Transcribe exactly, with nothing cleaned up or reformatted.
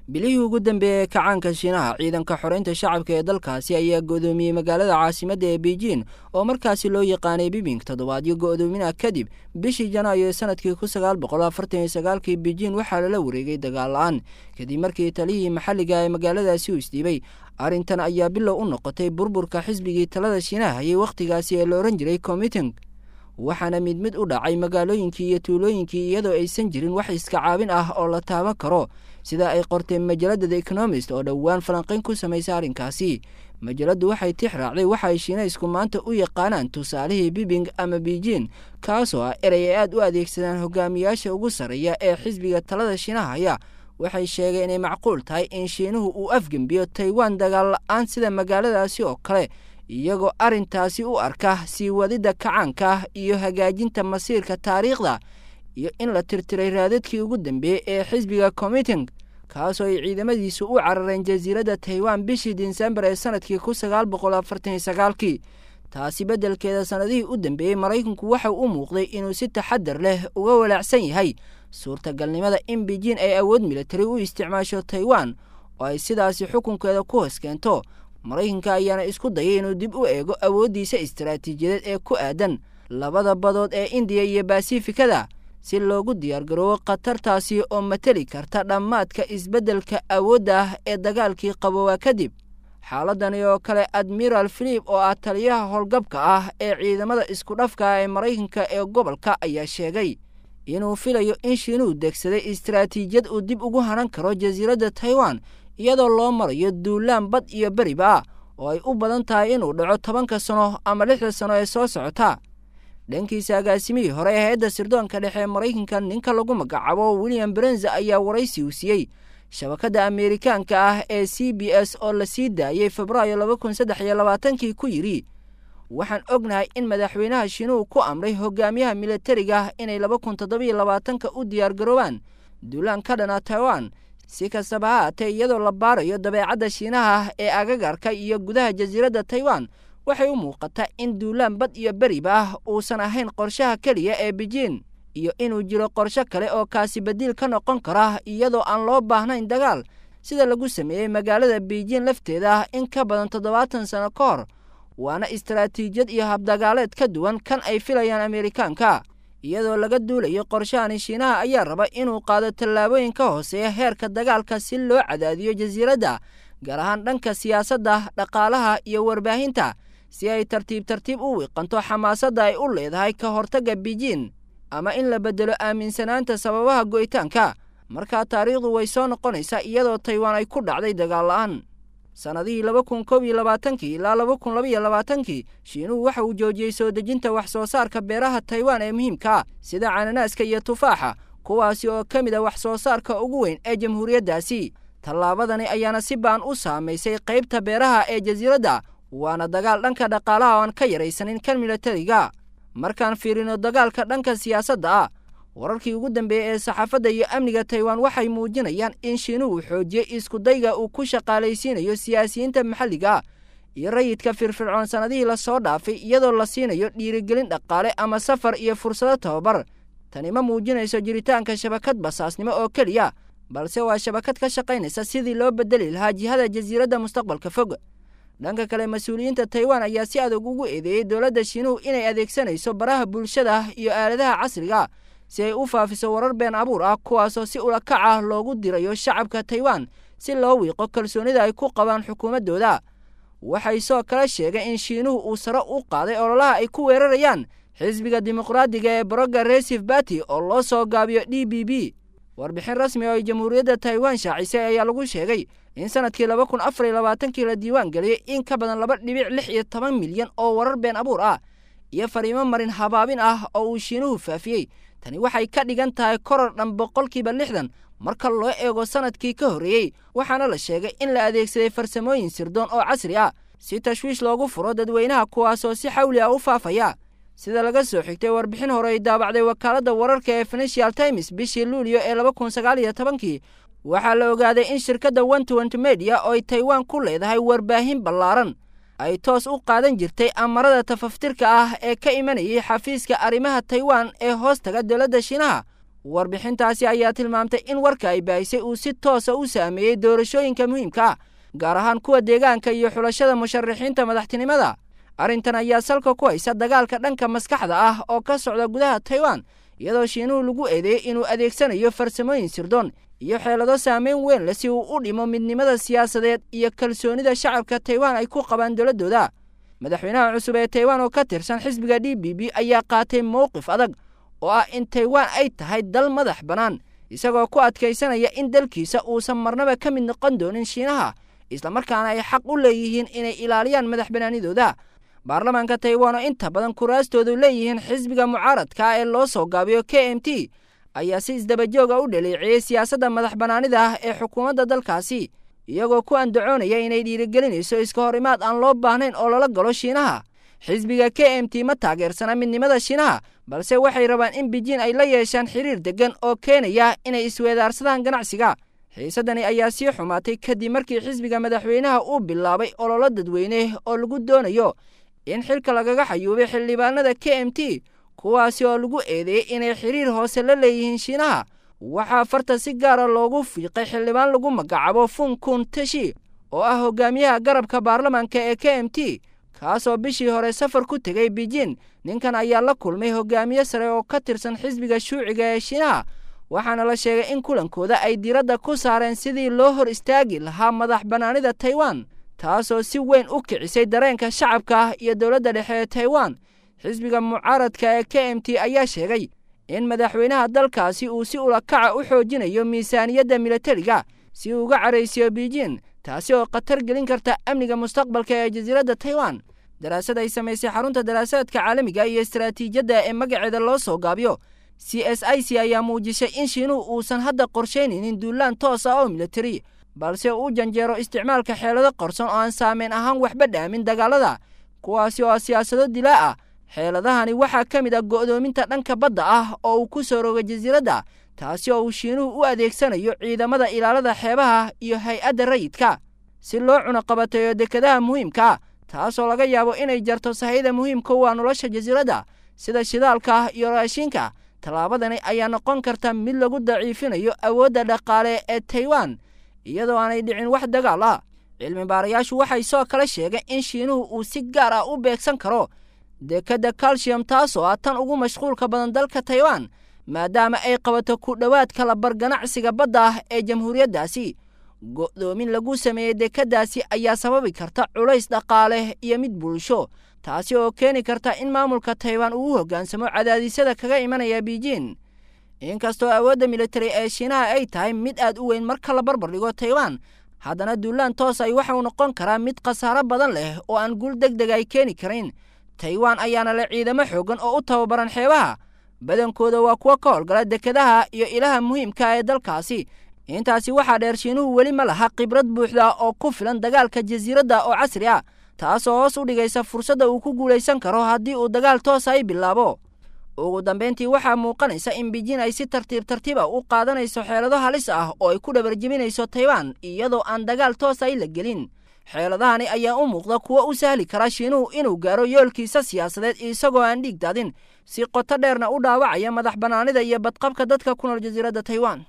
Bilihii ugu dambeeyey ee kacaanka Shiinaha, ciidanka xoreynta shacabka ee dalkaasi ayaa go'doomiyey magaalada caasimadda ee Beijing, oo markaasi loo yaqaanay Bibing. Toddobaadyo go'doomina kadib, bishii Janaayo ee sanadkii kun sagaal boqol afartan iyo sagaalkii, Beijing waxaa lala wareegay dagaal la-aan, kadib markii taliyihii maxalliga ee magaaladaasi uu isdhiibay. Arrintan ayaa bilow u noqotay burburka xisbigii talada Shiinaha hayay wakhtigaasi ee la odhan jiray Commiting, waxaana mid mid u dhacay magaalooyinkii iyo tuulooyinkii, iyadoo aysan jirin wax iska caabin ah oo la taaban karo, sida ay qortay majalada The Economist oo dhowaan falanqayn ku samaysa arrinkaasi. Majaladdu waxay tix raacday waxa ay Shiinaysku maanta u yaqaanaan tusaalihii Bibing ama Beijing, kaasoo ah erey ay aad u adeegsadaan hogaamiyaasha ugu sarreeya ee xisbiga talada Shiinaha haya. Waxay sheegeen inay macquul tahay in Shiinuhu uu afgembiyo Taiwan dagaal la-aan sida magaaladaasi oo kale, iyagoo arrintaasi u arka sii wadidda kacaanka iyo hagaajinta masiirka taariikhda iyo in la tirtiray raadadkii ugu dambeeyey ee xisbiga Commiting, kaasoo ay ciidamadiisu u carareen jasiiradda Taiwan bishii Disembar ee sanadkii kun sagaal boqol afartan iyo sagaalkii. Taasi beddelkeeda, sannadihii u dambeeyey Maraykanku waxa u muuqday inuu si taxadar leh uga walaacsan yahay suurtagalnimada in Beijing ay awood militari u isticmaasho Taiwan oo ay sidaasi xukunkeeda ku hoos keento. Maraykanka ayaana isku dayay inuu dib u eego awooddiisa istaraatiijiyadeed ee ku aadan labada badood ee Indiya iyo Basifikada, si loogu diyaargaroobo khatartaasi oo mateli karta dhammaadka isbeddelka awoodda ah ee dagaalkii qaboowaa kadib. Xaaladani oo kale, Admiral Philip oo ah taliyaha howlgabka ah ee ciidamada isku dhafka ah ee Maraykanka ee gobolka ayaa sheegay inuu filayo in Shiinuhu degsaday istaraatiijiyad uu dib ugu hanan karo jasiiradda Taiwan, iyadoo loo marayo duulaan bad iyo beriba ah oo ay u badan tahay inuu dhaco tobanka sano ama lixda sano ee soo socota. Dhankiisa, agaasimihii hore ee hay-adda sirdoonka dhexe ee Maraykanka, ninka lagu magacaabo William Brenza, ayaa waraysi uu siiyey shabakadda Ameerikaanka ah ee C B S oo la sii daayey Febraayo laba kun saddex iyo labaatankii ku yidhi: Waxaan ognahay in madaxweynaha Shiinuhu ku amray hogaamiyaha militariga inay laba kun toddobiyo labaatanka u diyaargaroobaan duulaan ka dhana Taiwan. Si kastaba ha haatee, iyadoo la baarayo dabeecadda Shiinaha ee agagarka iyo gudaha jasiiradda Taiwan, waxay u muuqataa in duulaan bad iyo beriba ah uusan ahayn qorshaha keliya ee Beijing, iyo inuu jiro qorsho kale oo kaasi badiil ka noqon kara, iyadoo aan loo baahnayn dagaal, sida lagu sameeyey magaalada Beijing lafteeda in ka badan toddobaatan sano ka hor, waana istaraatiijiyad iyo habdagaaleed ka duwan kan ay filayaan Ameerikaanka. Iyadoo laga duulayo qorshahani, Shiinaha ayaa raba inuu qaado tallaabooyin ka hooseeya heerka dagaalka si loo cadaadiyo jasiiradda, gaar ahaan dhanka siyaasadda, dhaqaalaha iyo warbaahinta, si ay tartiib tartiib u wiiqanto xamaasadda ay u leedahay ka hortagga Beijing ama in la beddelo aaminsanaanta sababaha go'itaanka. Markaa taariikhdu way soo noqonaysaa, iyadoo Taiwan ay ku dhacday dagaal la'aan. Sannadihii laba kun kow iyo labaatankii ilaa laba kun laba iyo labaatankii, Shiinuhu waxa uu joojiyey soo dejinta wax soo saarka beeraha Taiwan ee muhiimka ah, sida cananaaska iyo tufaaxa, kuwaasi oo ka mid a wax soo saarka ugu weyn ee jamhuuriyaddaasi. Tallaabadani ayaana si ba'an u saamaysay qaybta beeraha ee jasiiradda, waana dagaal dhanka dhaqaalaha oo aan ka yaraysanin kan militariga. Markaan fiirino dagaalka dhanka siyaasadda ah, wararkii ugu dambeeyey ee saxaafadda iyo amniga Taiwan waxay muujinayaan in Shiinuhu xoojiyey iskudayga uu ku shaqaalaysiinayo siyaasiyiinta maxalliga ah iyo rayidka firfircoon sannadihii lasoo dhaafay, iyadoo la siinayo dhiirigelin dhaqaale ama safar iyo fursado tababar. Tani ma muujinayso jiritaanka shabakad basaasnimo oo keliya, balse waa shabakad ka shaqaynaysa sidii loo bedeli lahaa jihada jasiiradda mustaqbalka fog. Dhanka kale, mas-uuliyiinta Taiwan ayaa si adag ugu eedeeyey dowladda Shiinuhu inay adeegsanayso baraha bulshada iyo aaladaha casriga si ay u faafiso warar been abuur ah, kuwaasoo si ulakac ah loogu dirayo shacabka Taiwan si loo wiiqo kalsoonida ay ku qabaan xukuumaddooda. Waxay soo kale sheegeen in Shiinuhu uu sare u qaaday ololaha ay ku weerarayaan xisbiga Dimuqraadiga ee Progressive Party oo loo soo gaabiyo D B B. Warbixin rasmi oo ay jamhuuriyadda Taiwan shaacisay ayaa lagu sheegay in sanadkii laba kun afar iyo labaatankii la diiwaan geliyey in ka badan laba dhibic lix iyo toban milyan oo warar been abuur ah iyo fariimo marin habaabin ah oo uu Shiinuhu faafiyey. Tani waxay ka dhigan tahay koror dhan boqolkiiba lixdan marka loo eego sanadkii ka horreeyey, waxaana la sheegay in la adeegsaday farsamooyin sirdoon oo casri ah si tashwiish loogu furo dadweynaha, kuwaasoo si xawli ah u faafaya. Sida laga soo xigtay warbixin hore ay daabacday wakaaladda wararka ee Financial Times bishii Luulyo ee laba kun sagaal iyo tobankii, waxaa la ogaaday in shirkadda One Twenty Media oo ay Taiwan ku leedahay warbaahin ballaaran ay toos u qaadan jirtay amarada tafaftirka ah ee ka imanayay xafiiska arrimaha Taiwan ee hoostaga dowladda Shiinaha, Warbixintaasi ayaa tilmaamtay in warka ay baahisay uu si toosa u saameeyey doorashooyinka muhiimka ah, gaar ahaan kuwa deegaanka iyo xulashada musharaxiinta madaxtinimada. Arrintan ayaa salka ku haysa dagaalka dhanka maskaxda ah oo ka socda gudaha Taiwan, iyadoo Shiinuhu lagu eedeeyey inuu adeegsanayo farsamooyin sirdoon iyo xeelado saameyn weyn leh si uu u dhimo midnimada siyaasadeed iyo kalsoonida shacabka Taiwan ay ku qabaan dowladdooda. Madaxweynaha cusub ee Taiwan oo ka tirsan xisbiga D B B ayaa qaatay mowqif adag oo ah in Taiwan ay tahay dal madax bannaan, isagoo ku adkaysanaya in dalkiisa uusan marnaba ka mid noqon doonin Shiinaha, islamarkaana ay xaq u leeyihiin inay ilaaliyaan madax bannaanidooda. Baarlamaanka Taiwan oo inta badan kuraastoodu leeyihiin xisbiga mucaaradka ee loo soo gaabiyo K M T ayaa si isdabajooga u dhaleeceeyey siyaasadda madax bannaanida ah ee xukuumadda dalkaasi, iyagoo ku andacoonaya inay dhiirigelinayso iska hor imaad aan loo baahnayn oo lala galo Shiinaha. Xisbiga K M T ma taageersana midnimada Shiinaha, balse waxay rabaan in Beijing ay la yeeshaan xiriir deggan oo keenaya inay isweedaarsadaan ganacsiga. Xiisadani ayaa sii xumaatay kadib markii xisbiga madaxweynaha uu bilaabay ololo dadweyne oo lagu doonayo in xilka lagaga xayuubay xildhibaanada K M T, kuwaasi oo lagu eedeeyey inay xiriir hoose la leeyihiin Shiinaha. Waxaa farta si gaara loogu fiiqay xildhibaan lagu magacaabo Fung Kun Tashi oo ah hogaamiyaha garabka baarlamaanka ee K M T, kaasoo bishii hore safar ku tegay Beijing. Ninkan ayaa la kulmay hogaamiye sare oo ka tirsan xisbiga shuuciga ee Shiinaha, waxaana la sheegay in kulankooda ay diiradda ku saareen sidii loo hor istaagi lahaa madax bannaanida Taiwan, taasoo si weyn u kicisay dareenka shacabka iyo dowladda dhexe ee Taiwan. Xisbiga mucaaradka ee K M T ayaa sheegay in madaxweynaha dalkaasi uu si ulakaca u xoojinayo miisaaniyadda militariga si uu uga caraysiyo Beijing, taasi oo khatar gelin karta amniga mustaqbalka ee jasiiradda Taiwan. Daraasad ay samaysay xarunta daraasaadka caalamiga iyo istaraatiijiyadda ee magaceeda loo soo gaabiyo C S I C ayaa muujisay in Shiinuhu uusan hadda qorsheynaynin duulaan toos ah oo militari, balse uu janjeero isticmaalka xeelado qarsoon oo aan saameyn ahaan waxba dhaamin dagaalada, kuwaasi oo siyaasado dilaa ah. Xeeladahani waxaa ka mid ah go'doominta dhanka badda ah oo uu ku soo rogay jasiiradda, taasi oo uu Shiinuhu u adeegsanayo ciidamada ilaalada xeebaha iyo hay-adda rayidka si loo cunaqabateeyo dekedaha muhiimka ah, taasoo laga yaabo inay jarto sahayda muhiimka u ah nolosha jasiiradda sida shidaalka iyo raashinka. Tallaabadani ayaa noqon karta mid lagu daciifinayo awoodda dhaqaale ee Taiwan iyadoo aanay dhicin wax dagaal ah. Cilmi baarayaashu waxay soo kale sheegeen in Shiinuhu uu si gaar ah u beegsan karo dekedda calcium, taasoo ah tan ugu mashquulka badan dalka Taiwan, maadaama ay qabato ku dhowaad kala bar ganacsiga badda ah ee jamhuuriyaddaasi. Go'doomin lagu sameeyey dekeddaasi ayaa sababi karta culays dhaqaale iyo mid bulsho, taasi oo keeni karta in maamulka Taiwan uu u hoggaansamo cadaadisyada kaga imanaya Beijing. Inkastoo awoodda militari ee Shiinaha ay tahay mid aad u weyn marka la barbar dhigo Taiwan, haddana duulaan toos ay waxa uu noqon karaa mid khasaaro badan leh oo aan guul degdeg ay keeni karin. Taiwan ayaana leh ciidamo xooggan oo u tababaran xeebaha, badankooda waa kuwa ka howlgala dekedaha iyo ilaha muhiimka ee dalkaasi. Intaasi waxaa dheer, Shiinuhu weli ma laha khibrad buuxda oo ku filan dagaalka jasiiradda oo casri ah, taasoo hoos u dhigaysa fursadda uu ku guulaysan karo haddii uu dagaal toos ay bilaabo. Ugu dambeyntii, waxaa muuqanaysa in Beijing ay si tartiib tartiib ah u qaadanayso xeelado halis ah oo ay ku dhabarjebinayso Taiwan iyadoo aan dagaal toos ay la gelin. Xeeladahani ayaa u muuqda kuwo u sahli kara Shiinuhu inuu gaaro yoolkiisa siyaasadeed isagoo aan dhiig daadin, si qoto dheerna u dhaawacaya madax bannaanida iyo badqabka dadka ku nool jasiiradda Taiwan.